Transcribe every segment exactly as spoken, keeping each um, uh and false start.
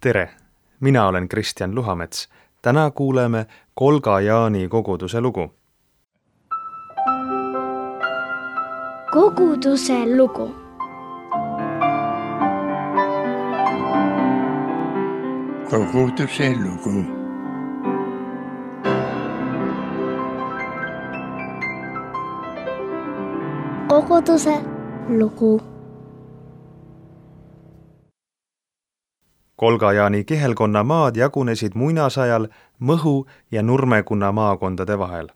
Tere, mina olen Kristjan Luhamets. Täna kuuleme Kolga-Jaani koguduse lugu. Koguduse lugu. Koguduse lugu. Koguduse lugu. Kolga-Jaani kihelkonna maad jagunesid muinasajal Mõhu ja Nurmekonna maakondade vahel.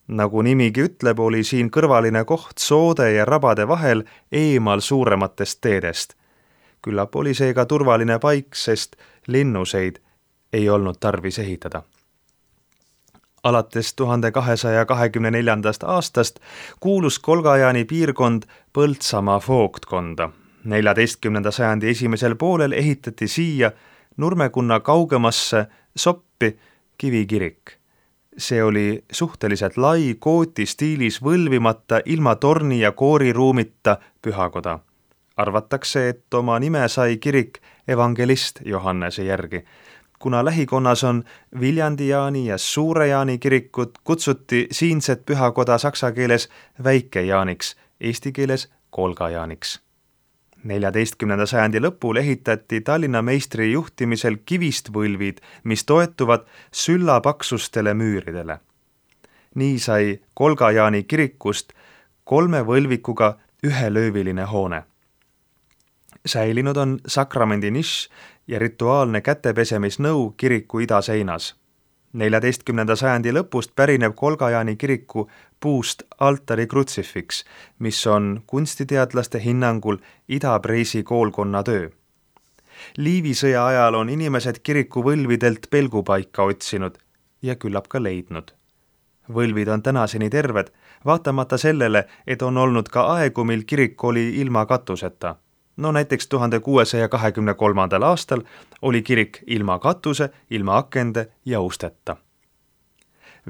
Nagu nimigi ütleb, oli siin kõrvaline koht soode ja rabade vahel eemal suurematest teedest. Küllap oli see ka turvaline paik, sest linnuseid ei olnud tarvis ehitada. Alates tuhande kahesaja kahekümne neljandast aastast kuulus Kolga-Jaani piirkond Põltsamaa vooktkonda. neljateistkümnenda sajandi esimesel poolel ehitati siia Nurmekonna kaugemasse Soppi kivikirik. See oli suhteliselt lai, kooti stiilis võlvimata, ilma torni ja kooriruumita pühakoda. Arvatakse, et oma nime sai kirik evangelist Johannese järgi. Kuna lähikonnas on Viljandi-Jaani ja Suure-Jaani kirikud, kutsuti siinset pühakoda saksa keeles Väike-Jaaniks, eesti keeles Kolga-Jaaniks. neljateistkümnenda sajandi lõpul ehitati Tallinna meistri juhtimisel kivist võlvid, mis toetuvad süllapaksustele müüridele. Nii sai Kolga-Jaani kirikust kolme võlvikuga ühelööviline hoone. Säilinud on sakramendi nišš ja rituaalne kätepesemisnõu kiriku idaseinas. neljateistkümnenda sajandi lõpust pärineb Kolga-Jaani kiriku puust altari krutsifiks, mis on kunstiteadlaste hinnangul Ida-Preisi koolkonna töö. Liivisõja ajal on inimesed kiriku võlvidelt pelgupaika otsinud ja küllap ka leidnud. Võlvid on tänaseni terved, vaatamata sellele, et on olnud ka aegu, mil kirik oli ilma katuseta. No näiteks tuhande kuuesaja kahekümne kolmandal aastal oli kirik ilma katuse, ilma akende ja usteta.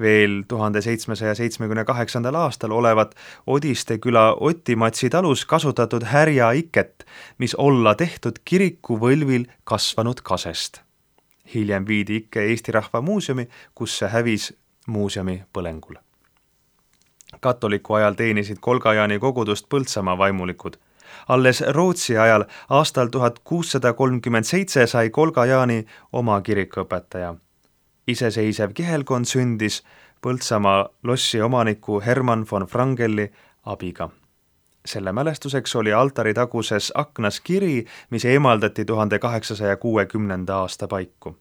Veel tuhande seitsmesaja seitsmekümne kaheksandal aastal olevat Odiste küla Otimatsi talus kasutatud härja iket, mis olla tehtud kiriku võlvil kasvanud kasest. Hiljem viidi ikke Eesti Rahva Muuseumi, kus see hävis muuseumi põlengul. Katoliku ajal teenisid Kolga-Jaani kogudust Põltsamaa vaimulikud. Alles Rootsi ajal aastal tuhat kuussada kolmkümmend seitse sai Kolga-Jaani oma kirikuõpetaja. Iseseisev kihelkond sündis Põltsamaa lossi omaniku Hermann von Wrangeli abiga. Selle mälestuseks oli altari taguses aknas kiri, mis eemaldati tuhande kaheksasaja kuuekümnenda aasta paiku.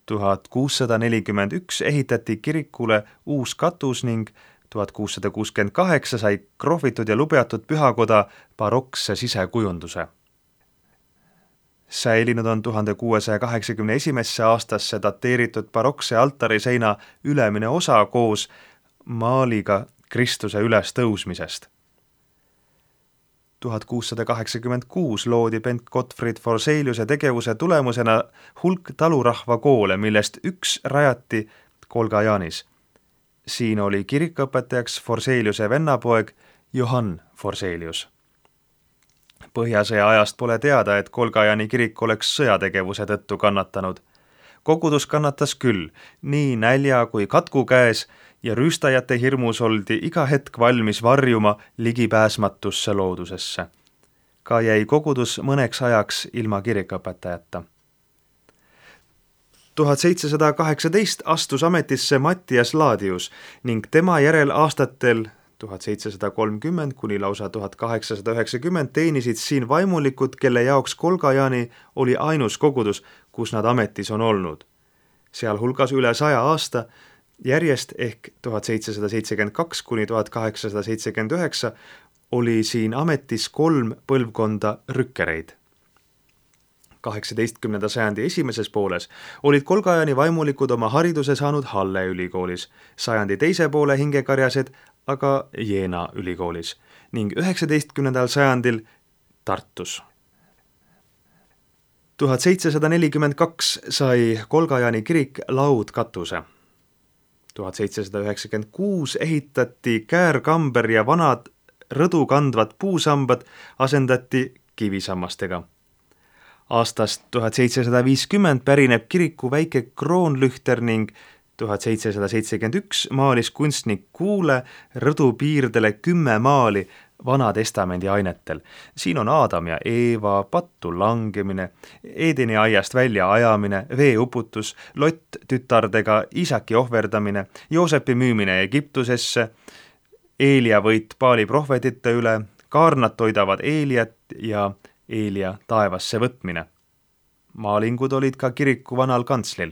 tuhat kuussada nelikümmend üks ehitati kirikule uus katus ning tuhat kuussada kuuskümmend kaheksa sai krohvitud ja lubeatud pühakoda barokse sisekujunduse. Säilinud on tuhande kuuesaja kaheksakümne esimesse aastasse dateeritud barokse altariseina ülemine osa koos maaliga Kristuse üles tõusmisest. tuhat kuussada kaheksakümmend kuus loodi Bent Gottfried Forseliuse tegevuse tulemusena hulk talurahva koole, millest üks rajati Kolga-Jaanis. Siin oli kirikuõpetajaks Forseliuse vennapoeg Johann Forselius. Põhjasõja ajast pole teada, et Kolga-Jaani kirik oleks sõjategevuse tõttu kannatanud. Kogudus kannatas küll, nii nälja kui katku käes ja rüüstajate hirmus oldi iga hetk valmis varjuma ligipääsmatusse loodusesse. Ka jäi kogudus mõneks ajaks ilma kirikuõpetajata. tuhat seitsesada kaheksateist astus ametisse Mattias Laadius ning tema järel aastatel tuhat seitsesada kolmkümmend kuni lausa tuhat kaheksasada üheksakümmend teenisid siin vaimulikud, kelle jaoks Kolga-Jaani oli ainus kogudus, kus nad ametis on olnud. Sealhulgas üle saja aasta järjest ehk tuhat seitsesada seitsekümmend kaks kuni tuhat kaheksasada seitsekümmend üheksa oli siin ametis kolm põlvkonda rükkereid. kaheksateistkümnenda sajandi esimeses pooles olid Kolga-Jaani vaimulikud oma hariduse saanud Halle ülikoolis, sajandi teise poole hingekarjased aga Jeena ülikoolis ning üheksateistkümnendal sajandil Tartus. tuhat seitsesada nelikümmend kaks sai Kolga-Jaani kirik laudkatuse. tuhat seitsesada üheksakümmend kuus ehitati käärkamber ja vanad rõdu kandvad puusambad asendati kivisammastega. Aastast tuhat seitsesada viiskümmend pärineb kiriku väike kroonlühter ning tuhat seitsesada seitsekümmend üks maalis kunstnik Kuule rõdu piirdele kümme maali Vana Testamendi ainetel. Siin on Aadam ja Eeva, pattu langemine, Eedeni aiast välja ajamine, veeuputus, Lott tütardega, Isaki ohverdamine, Joosepi müümine Egiptusesse, Eelia võit Paali prohvetite üle, kaarnad toidavad Eeliat ja Eelia taevasse võtmine. Maalingud olid ka kiriku vanal kantslil.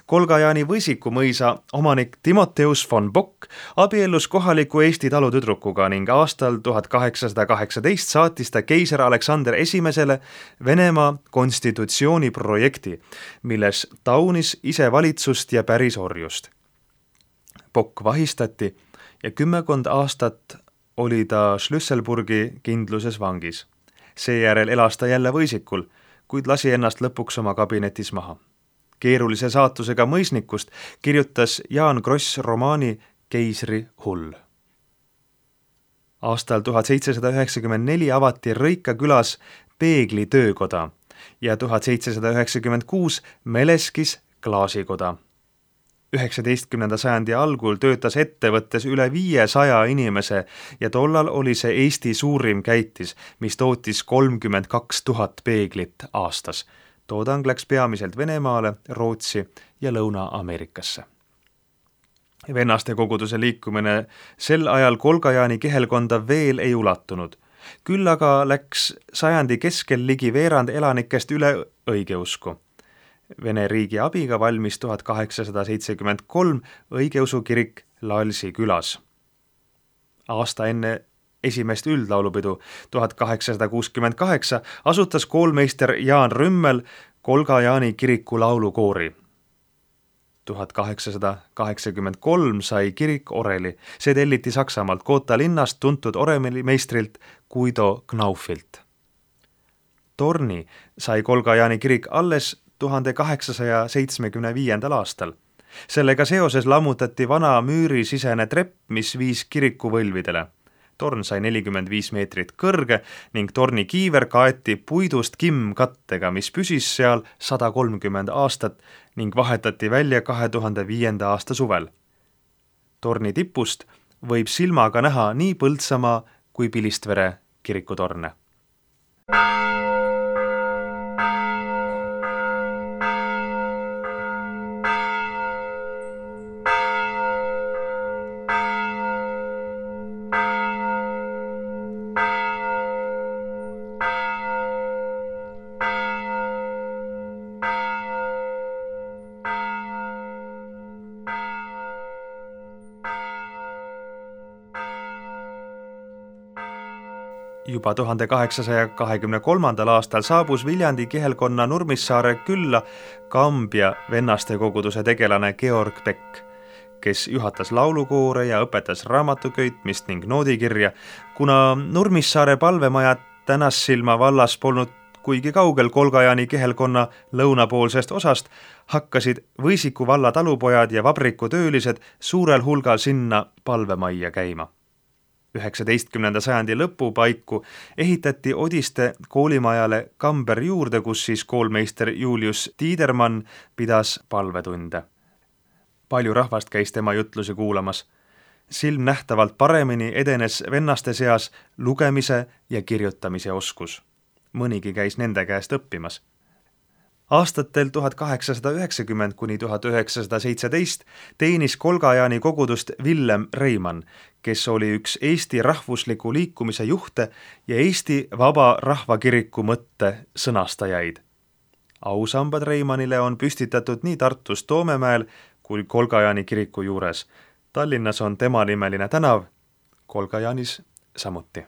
Kolga-Jaani Võisiku mõisa omanik Timoteus von Bock abiellus kohaliku Eesti talutüdrukuga ning aastal tuhat kaheksasada kaheksateist saatis ta keiser Aleksander esimesele Venemaa konstitutsiooni projekti, milles taunis isevalitsust ja pärisorjust. Bock vahistati ja kümmekond aastat oli ta Schlüsselburgi kindluses vangis. Seejärel elas ta jälle Võisikul, kuid lasi ennast lõpuks oma kabinetis maha. Keerulise saatusega mõisnikust kirjutas Jaan Kross romaani Keisri hull. Aastal tuhat seitsesada üheksakümmend neli avati Rõika külas Peegli töökoda ja tuhat seitsesada üheksakümmend kuus Meleskis klaasikoda. üheksateistkümnenda sajandi algul töötas ettevõttes üle viiesaja inimese ja tollal oli see Eesti suurim käitis, mis tootis kolmkümmend kaks tuhat peeglit aastas. Toodang läks peamiselt Venemaale, Rootsi ja Lõuna-Ameerikasse. Vennaste koguduse liikumine sel ajal Kolga-Jaani kihelkonda veel ei ulatunud. Küll aga läks sajandi keskel ligi veerand elanikest üle õigeusku. Vene riigi abiga valmis tuhat kaheksasada seitsekümmend kolm õigeusu kirik Lalsi külas. Aasta enne esimest üldlaulupidu tuhat kaheksasada kuuskümmend kaheksa asutas koolmeister Jaan Rümmel Kolga-Jaani kiriku laulukoori. tuhat kaheksasada kaheksakümmend kolm sai kirik oreli. See telliti Saksamaalt Koota linnast tuntud orelimeistrilt Guido Knaufilt. Torni sai Kolga-Jaani kirik alles tuhande kaheksasaja seitsmekümne viiendal aastal. Sellega seoses lammutati vana müürisisene trepp, mis viis kiriku võlvidele. Torn sai nelikümmend viis meetrit kõrge ning torni kiiver kaeti puidust kimmkattega, mis püsis seal sada kolmkümmend aastat ning vahetati välja kahe tuhande viienda aasta suvel. Torni tipust võib silmaga näha nii Põltsamaa kui Pilistvere kirikutorne. Juba tuhande kaheksasaja kahekümne kolmandal aastal saabus Viljandi kihelkonna Nurmissaare külla Kambja vennaste koguduse tegelane Georg Beck, kes juhatas laulukoore ja õpetas raamatuköitmist ning noodikirja. Kuna Nurmissaare palvemaja Tänassilma vallas polnud kuigi kaugel Kolga-Jaani kihelkonna lõunapoolsest osast, hakkasid Võisiku valla talupojad ja vabrikutöölised suurel hulgal sinna palvemajja käima. üheksateistkümnenda sajandi lõpu paiku ehitati Odiste koolimajale kamber juurde, kus siis koolmeister Julius Tiidermann pidas palvetunde. Palju rahvast käis tema jutlusi kuulamas. Silmnähtavalt paremini edenes vennaste seas lugemise ja kirjutamise oskus. Mõnigi käis nende käest õppimas. Aastatel tuhat kaheksasada üheksakümmend kuni tuhat üheksasada seitseteist teenis Kolga-Jaani kogudust Villem Reimann, kes oli üks Eesti rahvusliku liikumise juhte ja Eesti Vaba Rahvakiriku mõtte sõnastajaid. Ausambad Reimannile on püstitatud nii Tartus Toomemäel kui Kolga-Jaani kiriku juures. Tallinnas on tema nimeline tänav, Kolga-Jaanis samuti.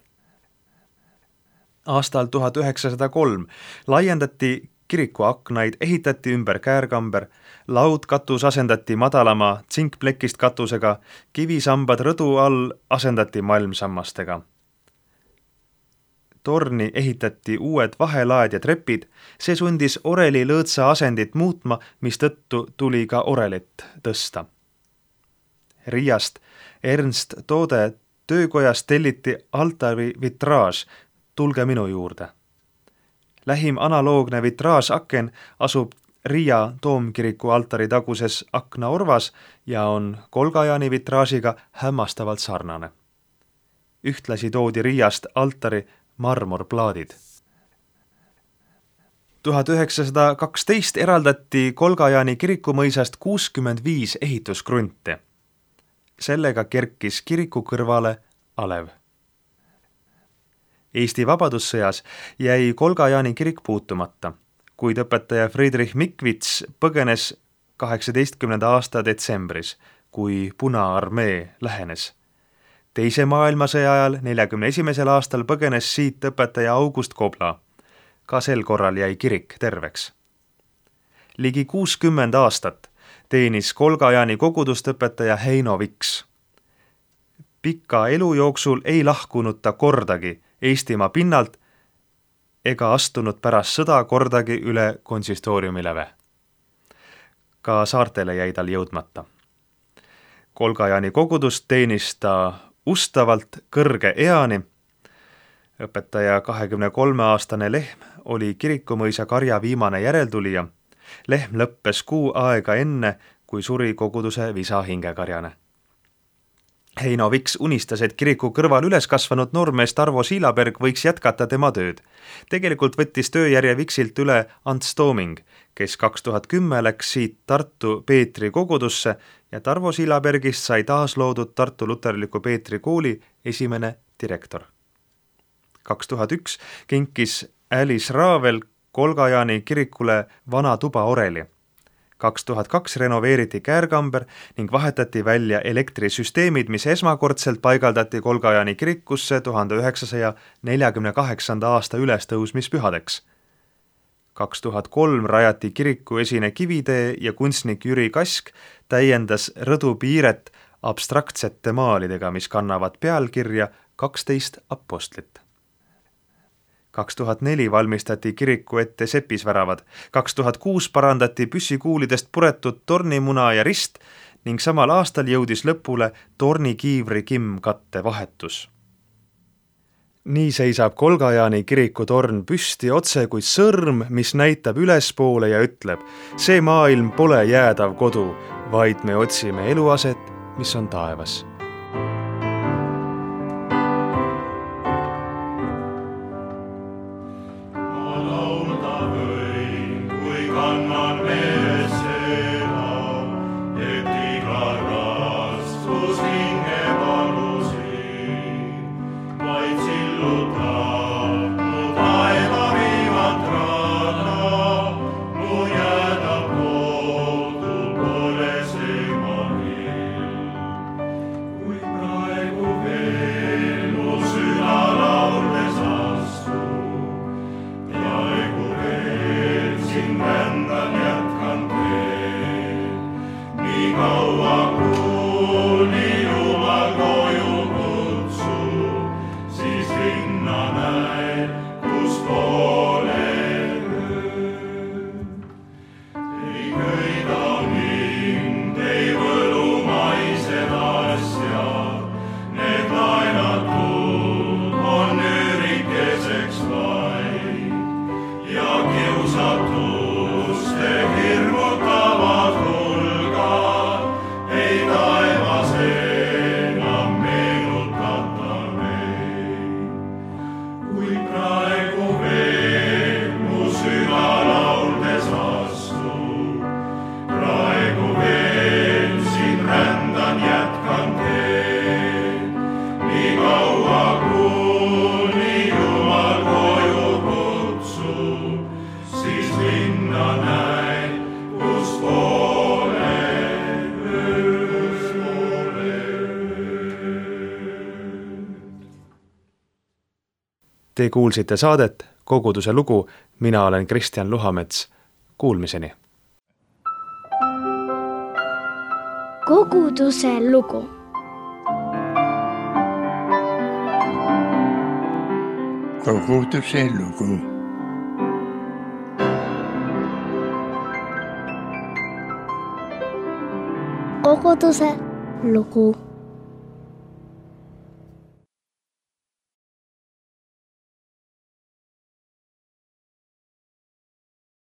Aastal tuhat üheksasada kolm laiendati kiriku aknaid, ehitati ümber käärkamber, laudkatus asendati madalama tsinkplekist katusega, kivisambad rõdu all asendati malmsammastega. Torni ehitati uued vahelaed ja trepid, see sundis oreli lõõtsa asendit muutma, mis tõttu tuli ka orelit tõsta. Riiast Ernst Toode töökojas telliti altari vitraaž Tulge minu juurde. Lähim analoogne vitraažaken asub Riia toomkiriku altari taguses aknaorvas ja on Kolgajaani vitraažiga hämmastavalt sarnane. Ühtlasi toodi Riiast altari marmorplaadid. tuhat üheksasada kaksteist eraldati Kolgajaani kirikumõisast kuuskümmend viis ehituskrunti. Sellega kerkis kiriku kõrvale alev. Eesti vabadussõjas jäi Kolgajaani kirik puutumata, kuid õpetaja Friedrich Mikvits põgenes kaheksateistkümnenda aasta detsembris, kui Punaarmee lähenes. Teise maailmasõja ajal neljakümne esimesel aastal põgenes siit õpetaja August Kobla. Ka sel korral jäi kirik terveks. Ligi kuuskümmend aastat teenis Kolgajaani kogudust õpetaja Heino Viks. Pika elu jooksul ei lahkunud ta kordagi Eestimaa pinnalt ega astunud pärast sõda kordagi üle konsistooriumileve. Ka saartele jäi tal jõudmata. Kolgajaani kogudust teenis ta ustavalt kõrge eani. Õpetaja kahekümne kolme aastane Lehm oli kirikumõisa Karja viimane järeltulija. Lehm lõppes kuu aega enne, kui suri koguduse visa hingekarjane. Heino Viks unistas, et kiriku kõrval üles kasvanud noormees Tarvo Siilaberg võiks jätkata tema tööd. Tegelikult võttis tööjärje Viksilt üle Ants Tooming, kes kaks tuhat kümme läks siit Tartu Peetri kogudusse ja Tarvo Siilabergist sai taas loodud Tartu Luterliku Peetri kooli esimene direktor. kaks tuhat üks kinkis Alice Raavel Kolgajaani kirikule vana tuba oreli. kaks tuhat kaks renoveeriti käärkamber ning vahetati välja elektrisüsteemid, mis esmakordselt paigaldati Kolgajaani kirikusse tuhande üheksasaja neljakümne kaheksanda aasta ülestõusmispühadeks. kaks tuhat kolm rajati kiriku esine kivitee ja kunstnik Jüri Kask täiendas rõdu piiret abstraktsete maalidega, mis kannavad pealkirja kaksteist apostlit. kaks tuhat neli valmistati kiriku ette sepisväravad, kaks tuhat kuus parandati püssikuulidest puretud tornimuna ja rist ning samal aastal jõudis lõpule tornikiivri kimmkatte vahetus. Nii seisab Kolgajaani kiriku torn püsti otse kui sõrm, mis näitab ülespoole ja ütleb: see maailm pole jäädav kodu, vaid me otsime eluaset, mis on taevas. Te kuulsite saadet Koguduse lugu, mina olen Kristjan Luhamets. Kuulmiseni. Koguduse lugu. Koguduse lugu. Koguduse lugu.